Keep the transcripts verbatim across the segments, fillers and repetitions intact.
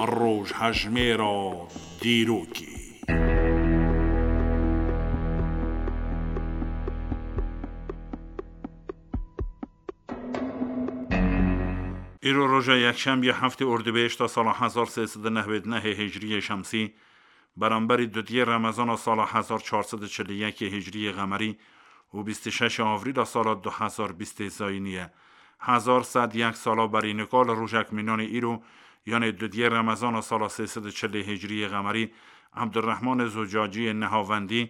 Rojhejmêra dîrokê. Îro roja yekşembiye heftê Ordibêhişta sala hezar sê sed û newêd nehê Hicriyê Şemsî, beramberî dudiyê Remezana sala hezar çar sed û çil û yekê Hicriyê Qemerî û bîst û şeşê Avrîla sala du hezar bîstê Zayînî ye. Hezar sed yek sala berî nika li rojek mînanê îro, yanê dudiyê Remezana sala sê sed û çilê Hicriyê Qemerî, Ebdurrehmanê Zucaciyê nihavendî,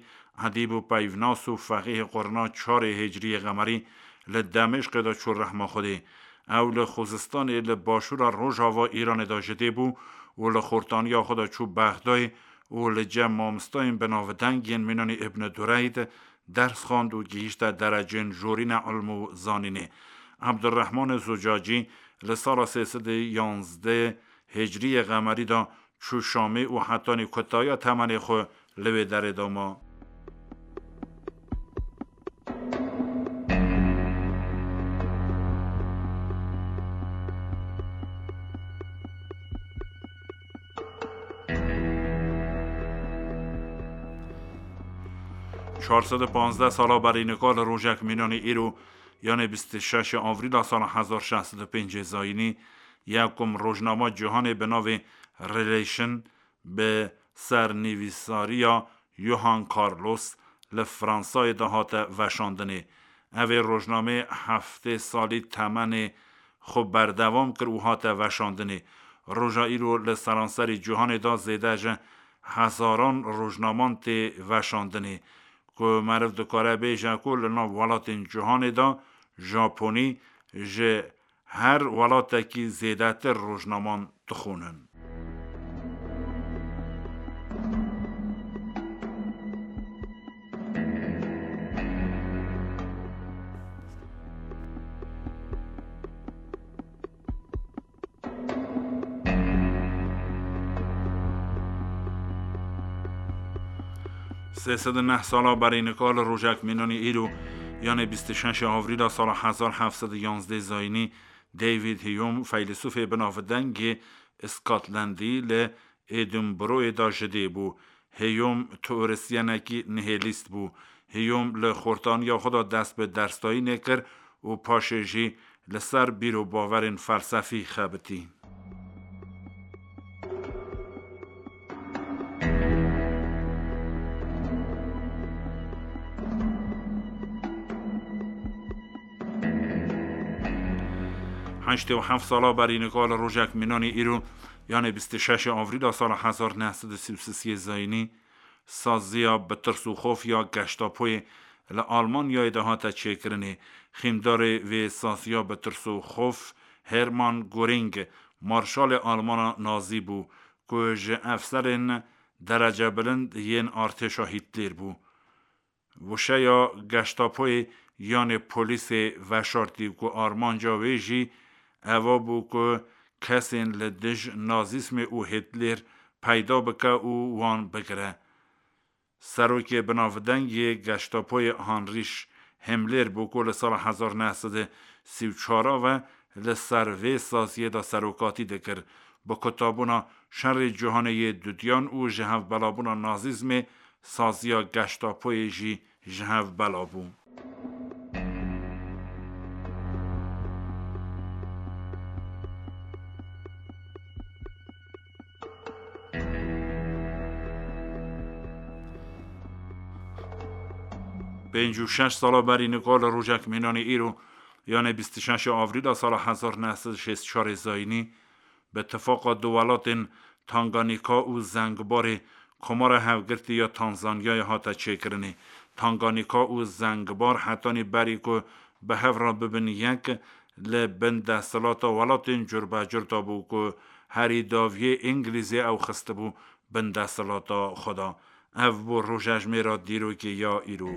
edîb û peyvnas û feqîhê qurna çarê Hicriyê Qemerî li Demêşqê de çû rehma Xwedê. Ew li Xuzistanê li başûra rojava Îranê de ji dê bû û li xortaniya xwe de çû Bexdayê û li cem mamostayên binavdeng yên mînanî Îbn Dureyd ders xwend û gihîşte derecên jorîne ilm û zanînê. Ebdurrehmanê Zucacî li sala sê sed û yanzdeh Hicriyê Qemerî de çû Şamê û hetanî kutaya temenê xwe li wê derê de ma. Çar sed û panzdeh sala berî nika li rojek mînanê îro, yanê bîst û şeşê Avrîla sala hezar şeş sed û pêncê Zayînî, yekum rojnama cîhanê bi navê Relation bi sernivîsariya Johan Carlos li Fransayê de hate veşandinê. Ev ê rojnamê heftê salî temenê xwe berdewam kir û hate veşandinê. Roja îro li seranserî cîhanê de zêde ji hezaran rojnaman tê veşandinê, ku meriv dikare bêje ku li nav welatên cîhanê de Japonî ji her welatekî zêdetir rojnaman dixwînin. Sê sed û neh sala berî nika li rojek mînanî îro, yanê bîst û şeşê Avrîla sala hezar heft sed û yanzdeh Zayînî, David Hume, feylesûfê binavdengê Scotlandî, li Edinburghê de ji dê bû. Hume teorisyenekî nihêlîst bû. Hume li xortaniya xwe de dest bi dersdayînê kir û paşê jî li ser bîr û bawerên felsefî xebitî. Heştê û heft sala berî nika li rojek mînanî îro, yanê bîst û şeşê Avrîla sala hezar neh sed û sî û sê Zayînî, saziya bi tirs û xof ya Gestapoyê li Almanyayê de hate çêkirinê. Xîmdarê vê saziya bi tirs û xof Hermann Göring, marşalê Almana Nazî bû, ku ji efserên derecebilind yên artêşa Hîtler bû. Wişeya Gestapoyê yanê polîsê veşartî ku armanca wê jî eva bû ku kesên li dij nazîsmê û Hîtler peyda bike û wan bigire. Serokê binavdeng yê Gestapoyê Heinrich Himmler bû ku li sala hezar neh sed û sî û çar ve li ser vê saziyê de serokatî dikir. Bi kutabûna Şerê Cîhanê yê Dudiyan û ji hevbelabûna nazîzmê, saziya Gestapoyê jî ji hev bela bû. Pêncî û şeş sala berî nika li rojek mînanê îro, yanê bîst û şeşê Avrîla sala hezar neh sed û şêst û çarê Zayînî, bi tifaqa du welatên Tanganîka û Zengbarê Komara Hevgirtî ya Tanzanyayê hate çêkirinê. Tanganîka û Zengbar hetanî berî ku bi hev re bibin yek, li bin desthilata welatên curbecur de bû ku herî dawiyê Îngilîzê ew xistibû bin desthilata xwe de. Ev bû rojejmêra dîrokê ya îro.